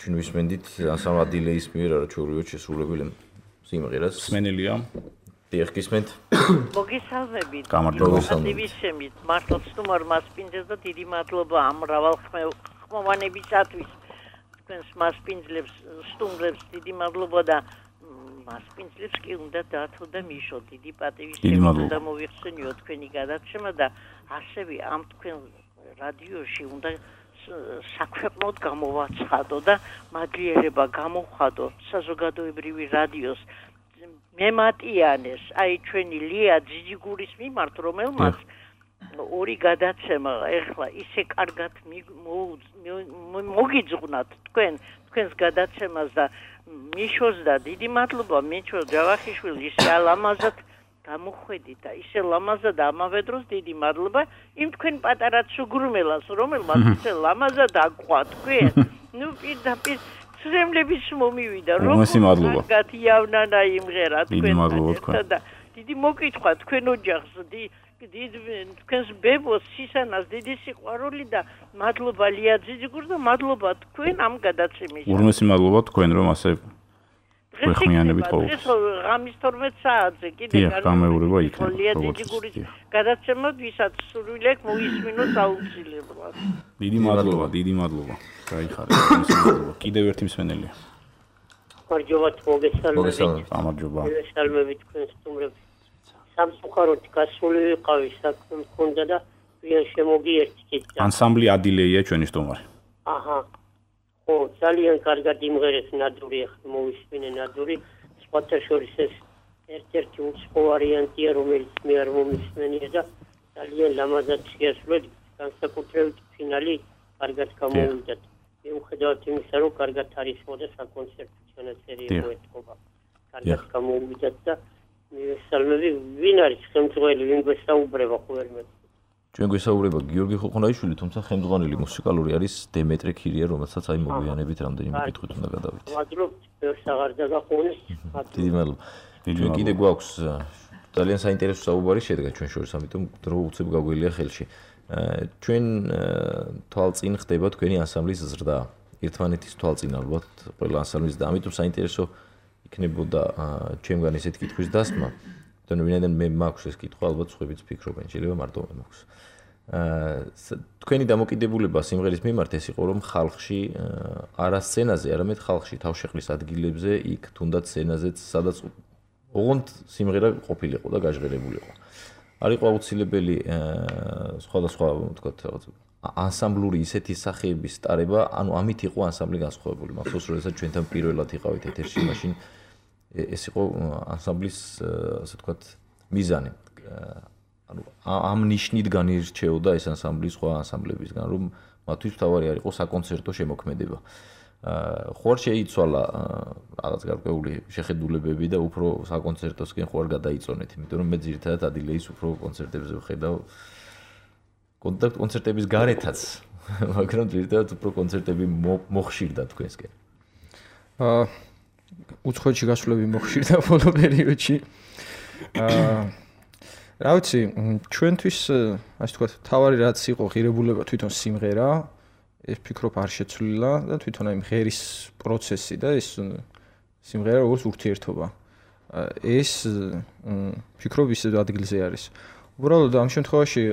ჩვენ ვისმენდით ასამ ადილეის მიერ არაჩვეულებრივად შესრულებელ სიმღერას. სმენელია. დიახ, გისმენთ. მოგესალმებით. გამარჯობა. მართლაც თუმარ მასპინძელს და დიდი მადლობა ამ მრავალხმოვანებისათვის. თქვენს მასპინძლებს, სტუმრებს დიდი მადლობა და მასპინძლებს კი უნდა დათო და მიშო დიდი პატივისცემა და მოიხსენიო თქვენი გადაცემა და ასევე ამ თქვენ რადიოში უნდა საქვეყნოდ გამოვაცხადო და მადლიერება გამოვხადო საზოგადოებრივი რადიოს მემატიანეს აი ჩვენი ლია ძიძიგურის მიმართ რომელმაც ორი გადაცემა ეხლა ისე კარგად მოგიძღვნათ თქვენს გადაცემას და მიშოს და დიდი მადლობა მიშო ჯავახიშვილი ისე ლამაზად გამოხვედით და ისე ლამაზად ამავე დროს დიდი მადლობა იმ თქვენ პატარა ცუგრუმელას რომელმაც ისე ლამაზად აყვა თქვენ ნუ პირდაპირ ცრემლების მომივიდა მადლობა გათიავნანა იმღერა თქვენ და დიდი მოკითხვა თქვენ ოჯახს თქვენს ბებოს სისანას დიდი სიყვარული და მადლობა ლია ძიძიგურს და მადლობა თქვენ ამ გადაცემის ურმესი მადლობა თქვენ რომ ასე გვეხმიანებით ყოველთვის დღეს ღამის 12 საათზე კიდე გამეურება იქნება ლია ძიძიგურის გადაცემა ვისაც სურვილი აქვს მოისმინოს აუცილებლად დიდი მადლობა გაიხარეთ კიდევ ერთი მსმენელია გამარჯობა მოგესალმებით გამარჯობა თქვენ სტუმრებს სამწუხაროდ გასული ვიყავი საქმე მქონდა და ვიან შემოგიერთით ანსამბლი ადილეია ჩვენი სტუმარი აჰა ხო ძალიან კარგად იმღერეს ნადური ახლა მოვისმინე ნადური სხვათა შორის ეს ერთ-ერთი უცხო ვარიანტია რომელიც მე არ მომისმენია და ძალიან ლამაზად შეასრულეთ განსაკუთრებით ფინალი კარგად გამოვიდა მიუხედავად იმისა რომ კარგად არის მოდა საკონცერტო ჩანაწერი მოეთყობა კარგად გამოვიდა და მისალმები ვინ არის ხელმძღვანელი ვინ გვესაუბრება ხოლმე ჩვენ გვესაუბრება გიორგი ხოხონაიშვილი თუმცა ხელმძღვანელი მუსიკალური არის დემეტრე ქირია რომელსაც აი მოგვიანებით რამდენიმე კითხვით უნდა გადავიდეთ მადლობა ბევრს აღარ დაგაყოვნეს დიდი მადლობა ჩვენ კიდე გვაქვს ძალიან საინტერესო საუბარი შედგა ჩვენ შორის ამიტომ დრო უცებ გაგველია ხელში ჩვენ თვალწინ ხდება თქვენი ანსამბლის ზრდა ერთმანეთის თვალწინ ალბათ ყველა ანსამბლის და ამიტომ საინტერესო იქნებოდა ჩემგან ესეთ კითხვის დასმა თუნდაც ვინაიდან მე მაქვს ეს კითხვა ალბათ სხვაებიც ფიქრობენ შეიძლება მარტო მე მაქვს თქვენი დამოკიდებულება სიმღერის მიმართ ეს იყო რომ ხალხში არა სცენაზე არამედ ხალხში თავშეყრის ადგილებზე იქ თუნდაც სცენაზეც სადაც ოღონდ სიმღერა ყოფილიყო და გაჟღერებულიყო არ იყო აუცილებელი სხვადასხვა ვთქვათ რაღაც ანსამბლური ისეთი სახეების სტარება ანუ ამით იყო ანსამბლი განსხვავებული მახსოვს როდესაც ჩვენთან პირველად იყავით ეთერში მაშინ ეს იყო ანსამბლის ასე ვთქვათ მიზანი ანუ ამ ნიშნით განირჩეოდა ეს ანსამბლი სხვა ანსამბლებისგან რომ მათთვის თავარი არ იყო საკონცერტო შემოქმედება ხო არ შეიცვალა რაღაც გარკვეული შეხედულებები და უფრო საკონცერტოსკენ ხო არ გადაიწონეთ იმიტომ რომ მე ძირითადად ადილეის უფრო კონცერტებზე ვხედავ კონცერტების გარეთაც მაგრამ ძირითადად უფრო კონცერტები მოხშირდა თქვენსკენ უცხოეთში გასვლები მოხშირდა ბოლო პერიოდში რა ვიცი ჩვენთვის ასე ვთქვათ თავარი რაც იყო ღირებულება თვითონ სიმღერა ეს ფიქრობ არ შეცვლილა და თვითონ აი მღერის პროცესი და ეს სიმღერა როგორც ურთიერთობა ეს ფიქრობ ისე ადგილზე არის უბრალოდ ამ შემთხვევაში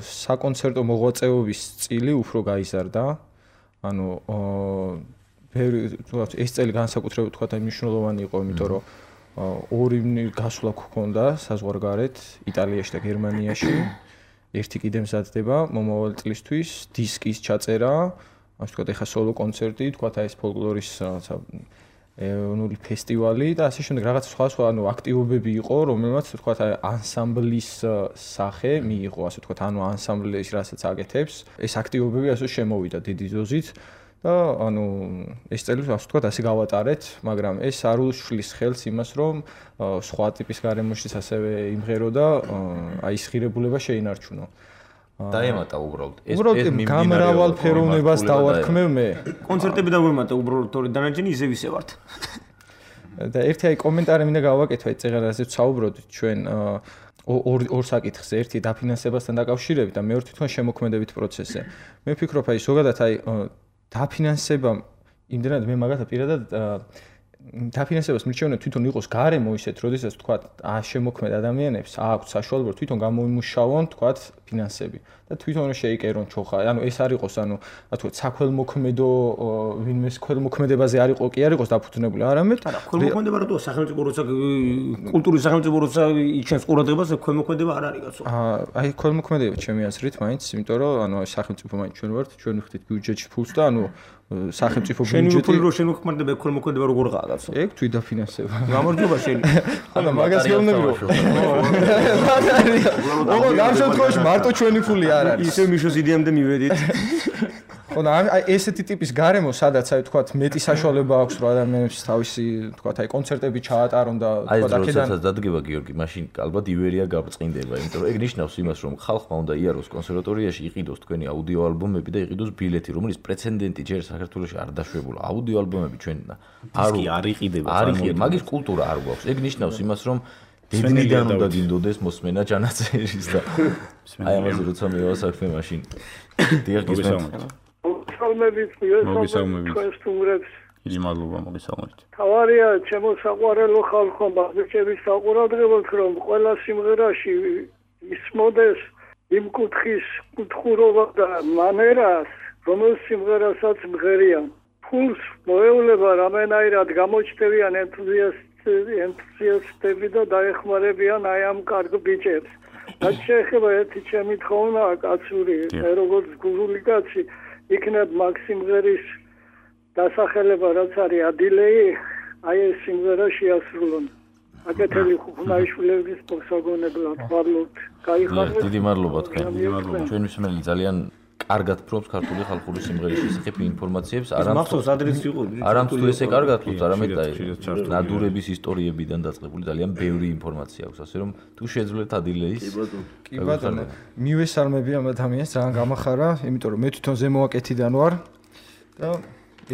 საკონცერტო მოღვაწეობის წილი უფრო გაიზარდა ანუ ეს წელი განსაკუთრებით თქვა და მნიშვნელოვანი იყო იმიტომ რომ ორი გასვლა გქონდა საზღვარგარეთ იტალიაში და გერმანიაში ერთი კიდე მზადდება მომავალი წლისთვის დისკის ჩაწერა ასე ვთქვათ ეხა სოლო კონცერტი თქვათ აი ეს ფოლკლორის რაღაცა ეროვნული ფესტივალი და ასე შემდეგ რაღაც სხვა ანუ აქტივობები იყო რომელმაც თქვათ აი ანსამბლის სახე მიიღო ასე ვთქვათ ანუ ანსამბლის რასაც აკეთებს ეს აქტივობები ასე შემოვიდა დიდი დოზით და ანუ ეს წელი ასე ვთქვათ ასე გავატარეთ მაგრამ ეს არ უშლის ხელს იმას რომ სხვა ტიპის გარემოშიც ასევე იმღერო და აი ეს ღირებულება შეინარჩუნო დაემატა უბრალოდ ეს გამრავალ ფეროვნებას დავარქმევ მე კონცერტები დავემატა უბრალოდ თორე დანარჩენი ისე ვისე ვართ და ერთი აი კომენტარი მინდა გავაკეთო აი წეღარაზე ვსაუბრობთ ჩვენ ორ საკითხზე ერთი დაფინანსებასთან დაკავშირებით და მეორე თვითონ შემოქმედებით პროცესზე მე ვფიქრობ აი ზოგადად აი დაფინანსება იმდენად მე მაგათა პირადად დაფინანსებას მირჩევენ თვითონ იყოს გარემო ისეთ, როდესაც თქვა შემოქმედ ადამიანებს აქვთ საშუალება თვითონ გამოიმუშავონ თქვა ფინანსები და თვითონ შეიკერონ ჩოხა. ანუ ეს არ იყოს, ანუ რა თქვა საქველმოქმედო ვინმეს ქველმოქმედებაზე არ იყო კი არ იყოს დაფუძნებული, არამედ ქველმოქმედება რატო სახელმწიფო როცა კულტურის სახელმწიფო როცა იჩენს ყურადღებას ქველმოქმედება არ არის კაცო. აი ქველმოქმედება ჩემი აზრით მაინც, იმიტომ რომ ანუ სახელმწიფო მაინც ჩვენ ვართ, ჩვენ ვიხდით ბიუჯეტში ფულს და ანუ სახელმწიფო ბიუჯეტი შემოქმედება ქველმოქმედება როგორღაა კაცო. ეგ თვით დაფინანსება. გამარჯობა შენი. ანუ მაგას გეუბნებიო. ოღონდ ამ შემთხვევაში მარტო ჩვენი ფული არ არის. ისე მიშოს იდეამდე მივედით. ხო და აი ესეთი ტიპის გარემო, სადაც აი თქვა მეტი საშუალება აქვს რა ადამიანებს თავისი თქვა აი კონცერტები ჩაატარონ და თქვა აქედან აი დადგება გიორგი, მაშინ ალბათ ივერია გაბრწყინდება, იმიტომ რომ ეგ ნიშნავს იმას, რომ ხალხმა უნდა იაროს კონსერვატორიაში იყიდოს თქვენი აუდიო ალბომები და იყიდოს ბილეთი, რომელიც პრეცედენტი ჯერ საქართველოში არ დაშვებულა. აუდიო ალბომები ჩვენ არ იყიდება, მაგის კულტურა არ გვაქვს. ეგ ნიშნავს იმას, რომ დედნიდან უნდა გინდოდეს მოსმენა ჯანაწერის და აი ამაზე როცა მივასაქმე მაშინ დიახ გისმენთ. მოგესალმებით სტუმრებს. დიდი მადლობა მოგესალმებით. თავარია ჩემო საყვარელო ხალხო, ბაბიჭების საყურადღებოდ, რომ ყველა სიმღერაში ისმოდეს იმ კუთხის კუთხურობა და მანერას, რომელ სიმღერასაც მღერიან. ფულს მოევლება რამენაირად გამოჩნდებიან ენთუზიასტები და დაეხმარებიან აი ამ კარგ ბიჭებს. რაც შეეხება ერთი ჩემი თხოვნა კაცური, როგორც გურული კაცი იქნებ მაქსიმღერის დასახელება რაც არის ადილეი, აი ეს სიმღერა შეასრულონ. აკეთილი ხუხნაიშვილების პოსაგონებლად ვარლოთ. გაიხარეთ. დიდი მადლობა თქვენ. დიდი მადლობა. ჩვენ მსმენელი ძალიან კარგად პრობს ქართული ხალხური სიმღერის შესახებ ინფორმაციებს, არამც თუ ესე კარგად პრობს, არამედ აი ნადურების ისტორიებიდან დაწყებული ძალიან ბევრი ინფორმაცია აქვს, ასე რომ თუ შეძლოთ ადილეის. კი ბატონო, მივესალმები ამ ადამიანს, ძალიან გამახარა, იმიტომ რომ მე თვითონ ზემოაკეთიდან ვარ და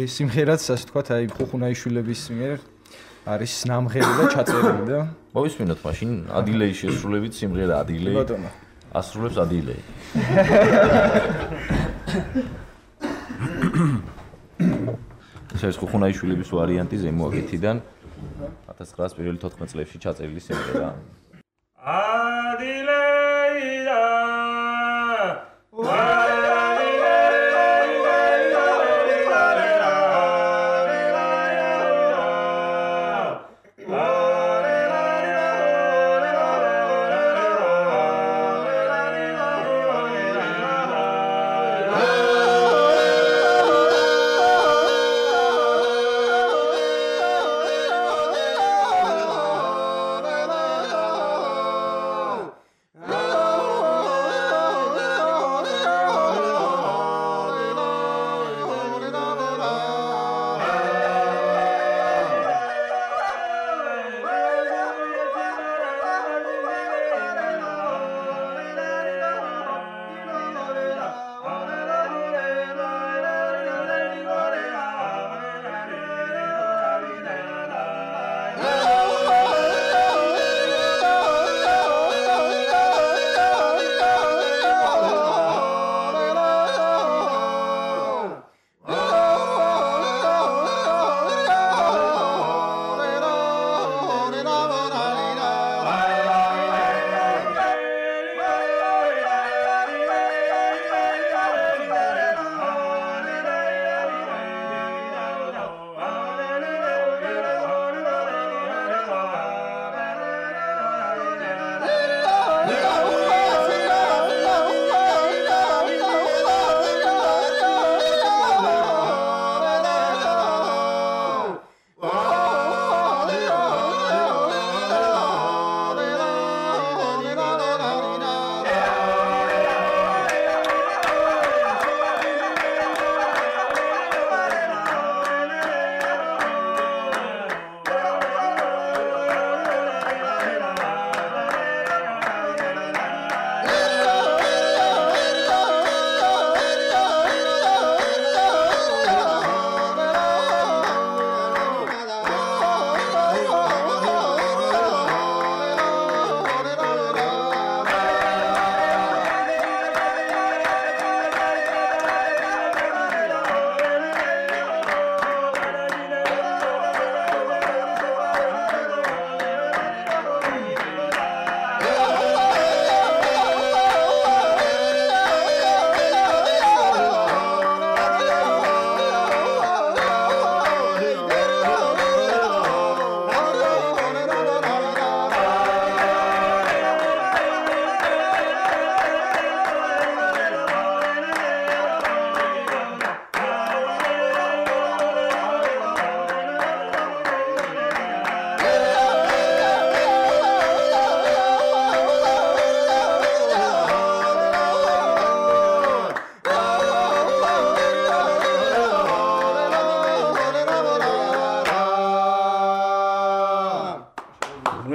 ეს სიმღერაც ასე თქვა, აი ხუხუნაიშვილების მიერ არის ნამღერი და ჩაწერილი და მოვისმინოთ მაშინ ადილეის შესრულებით სიმღერა ადილეი. ბატონო ასრულებს ადილეი. ეს ხუხუნაიშვილების ვარიანტი ზემოაკეთიდან 1914 წლებში ჩაწერილი სიმღერა. ადილეიდა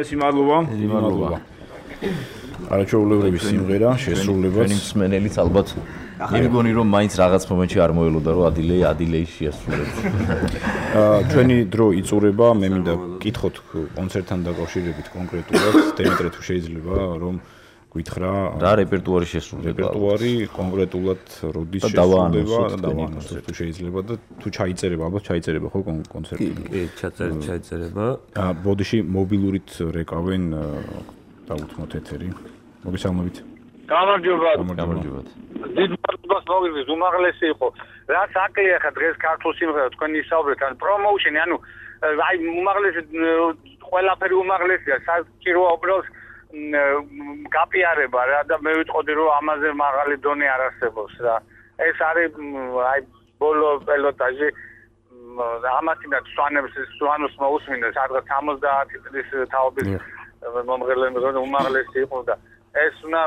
უმრავლესი მადლობა. არაჩვეულებრივი სიმღერა, შესრულებაც. ჩვენი მსმენელიც ალბათ იმგონი რომ მაინც რაღაც მომენტში არ მოელოდა რომ ადილეი შეასრულებს. ჩვენი დრო იწურება, მე მინდა გკითხოთ კონცერტთან დაკავშირებით კონკრეტულად, დემეტრე თუ შეიძლება რომ გითხრა რა რეპერტუარი შესრულდება. რეპერტუარი კონკრეტულად როდის შესრულდება და დავანონსოთ თუ შეიძლება და თუ ჩაიწერება, ალბათ ჩაიწერება ხო კონცერტი. კი, ჩაიწერება. ბოდიში მობილურით რეკავენ დაუთმოთ ეთერი. მოგესალმებით. გამარჯობა. დიდ მადლობას მოგივით, უმაღლესი იყო. რაც აკლია ხა დღეს ქართულ სიმღერას თქვენ ისაუბრეთ, ან პრომოუშენი, ანუ აი უმაღლესი ყველაფერი უმაღლესია, საჭიროა უბრალოდ გაპიარება რა და მე ვიტყოდი რომ ამაზე მაღალი დონე არ არსებობს რა. ეს არის აი ბოლო პილოტაჟი ამათინა სვანოს მოусმინდა სადღაც 70 წლის თაობის მომღერლები უმაღლესი იყო და ეს უნდა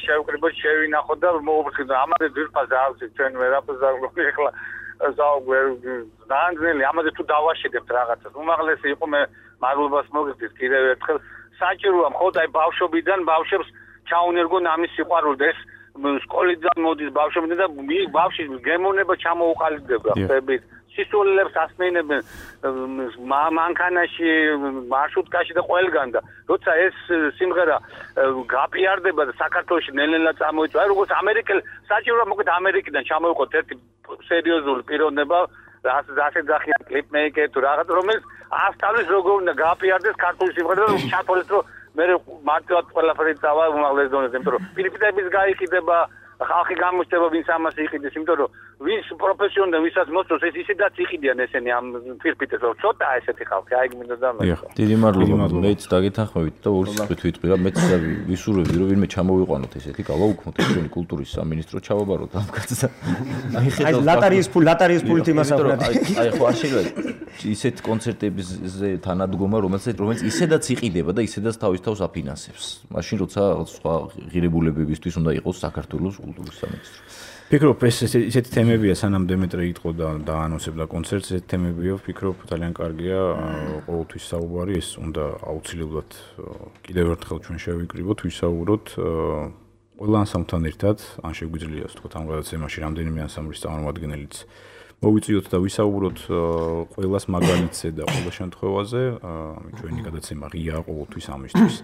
შევკრიბოთ შევინახოთ და მოუბრუნდეთ ამაზე ძირფას აქვს ჩვენ ვერაფერს არ გვაქვს ახლა ზაანძელი ამაზე თუ დავაშიდებთ რაღაცას უმაღლესი იყო მე მადლობას მოგიხდით კიდევ ერთხელ საჭიროა მხოლოდ აი ბავშვობიდან ბავშვებს ჩაუნერგონ ამის სიყვარული ეს სკოლიდან მოდის ბავშვებიდან და ბავშვი გემოვნება ჩამოუყალიბდება ხებით სისულელებს ასმენებენ მანქანაში მარშრუტკაში და ყველგან და როცა ეს სიმღერა გაპიარდება და საქართველოში ნელ-ნელა წამოიწვა აი როგორც ამერიკელ საჭიროა მოკლედ ამერიკიდან ჩამოიყვოთ ერთი სერიოზული პიროვნება ასე ძახიან კლიპმეიკერი თუ რაღაც რომელიც ასწავლის როგორ უნდა გაპიარდეს ქართული სიმღერა და ჩათვალეს რომ მე მარტივად ყველაფერი წავა უმაღლეს დონეზე იმიტომ რომ პირდაპირ გაიყიდება ხალხი გამოჩნდება ვინც ამას იყიდეს იმიტომ რომ ვინც პროფესიონალი ვისაც მოსწონს ეს ისედაც იყიდიან ესენი ამ ფირფიტებს რომ ცოტა ესეთი ხალხი აი მინდა და მე დიდი მადლობა მეც დაგეთანხმებით და ორი სიტყვით ვიტყვი რა მეც ვისურვებდი რომ ვინმე ჩამოვიყვანოთ ესეთი გავაუქმოთ ჩვენი კულტურის სამინისტრო ჩავაბაროთ ამ კაცს აი ლატარიის ფულით იმას აღვნიშნეთ აი ხო არ შეიძლება ისეთ კონცერტებზე თანადგომა რომელიც ისედაც იყიდება და ისედაც თავის თავს აფინანსებს მაშინ როცა სხვა ღირებულებებისთვის უნდა იყოს საქართველოს კულტურის სამინისტრო ფიქრობ ეს ესეთი თემებია სანამ დემეტრე იტყო და დაანონსებდა კონცერტს ესეთი თემებია ვფიქრობ ძალიან კარგია ყოველთვის საუბარი ეს უნდა აუცილებლად კიდევ ერთხელ ჩვენ შევიკრიბოთ ვისაუბროთ ყველა ანსამბლთან ერთად ან შეგვიძლია ასე ვთქვათ ამ გადაცემაში რამდენიმე ანსამბლის წარმომადგენელიც მოვიწიოთ და ვისაუბროთ ყველას მაგალითზე და ყველა შემთხვევაზე ჩვენი გადაცემა ღია ყოველთვის ამისთვის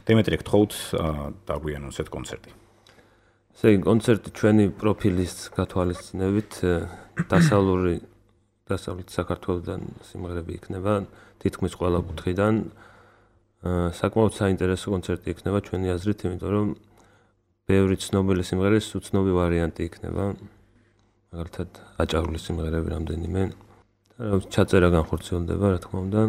დემეტრე გთხოვთ დაგვიანონსეთ კონცერტი ესე იგი კონცერტი ჩვენი პროფილის გათვალისწინებით დასავლეთ საქართველოსთან სიმღერები იქნება თითქმის ყველა კუთხიდან საკმაოდ საინტერესო კონცერტი იქნება ჩვენი აზრით იმიტომ რომ ბევრი ცნობილი სიმღერის უცნობი ვარიანტი იქნება მაგალითად აჭარული სიმღერები რამდენიმე და ჩაწერა განხორციელდება რა თქმა უნდა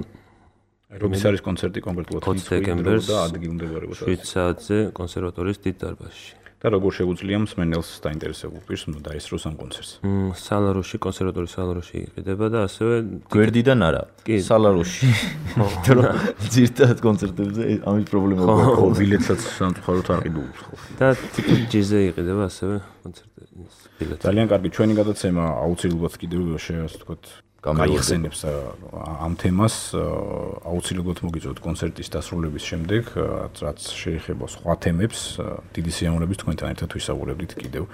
რომის არის კონცერტი კონკრეტულად 20 დეკემბერს და ადგილმდებარეობა 7 საათზე კონსერვატორიის დიდ დარბაზში და როგორ შეგვიძლია მსმენელს დაინტერესებულ პირს უნდა დაესწროს ამ კონცერტს სალაროში კონსერვატორიის სალაროში იყიდება და ასევე გვერდიდან არა სალაროში ძირთად კონცერტებზე ამის პრობლემა გვაქვს ბილეთსაც სამწუხაროდ არ ყიდულობს და TPG-ზე იყიდება ასევე კონცერტის ბილეთი ძალიან კარგი ჩვენი გადაცემა აუცილებლად კიდევ ასე ვთქვათ გაიხსენებს ამ თემას აუცილებლად მოგიწევთ კონცერტის დასრულების შემდეგ რაც შეეხება სხვა თემებს დიდი სიამოვნებით თქვენთან ერთად ვისაუბრებდით კიდევ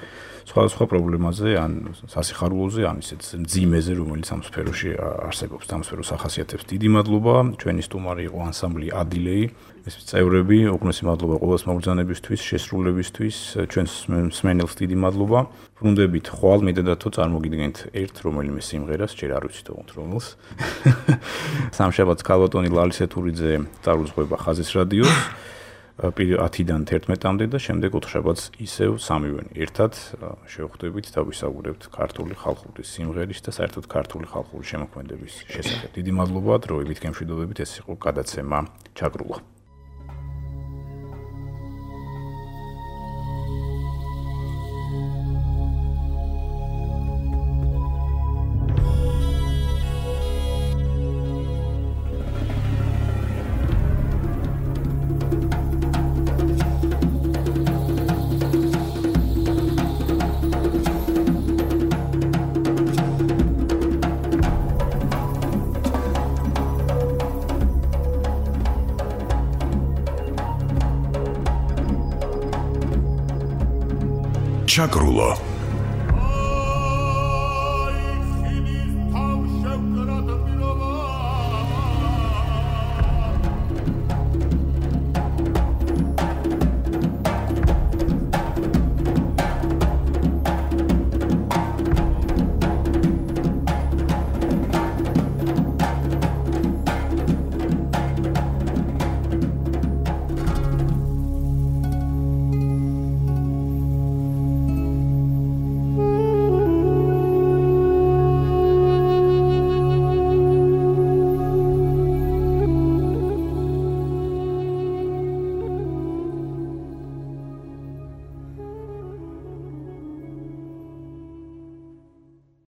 სხვა პრობლემაზე ან სასიხარულოზე ან ისეთ მძიმეზე რომელიც ამ სფეროში არსებობს ამ სფეროს ახასიათებს დიდი მადლობა ჩვენი სტუმარი იყო ანსამბლი ადილეი ეს წევრები უგუნესი მადლობა ყოველს მოგზანებისთვის შესრულებისთვის ჩვენს მსმენელს დიდი მადლობა ბრუნდებით ხვალ მედადათო წარმოგიდგენთ ერთ რომელიმე სიმღერას ჯერ არ ვიცით რომელს სამშაბათს ქალბატონი ლალისე თურიძე წარუძღვება ხაზის რადიოს 10-დან 11-მდე და შემდეგ 4 შაბათს ისევ სამივენი ერთად შევხვდებით და ვისაუბრებთ ქართული ხალხური სიმღერის და საერთოდ ქართული ხალხური შემოქმედების შესახებ. დიდი მადლობა დროებით გემშვიდობებით ეს იყო გადაცემა ჩაგრულა. ჩაკრულო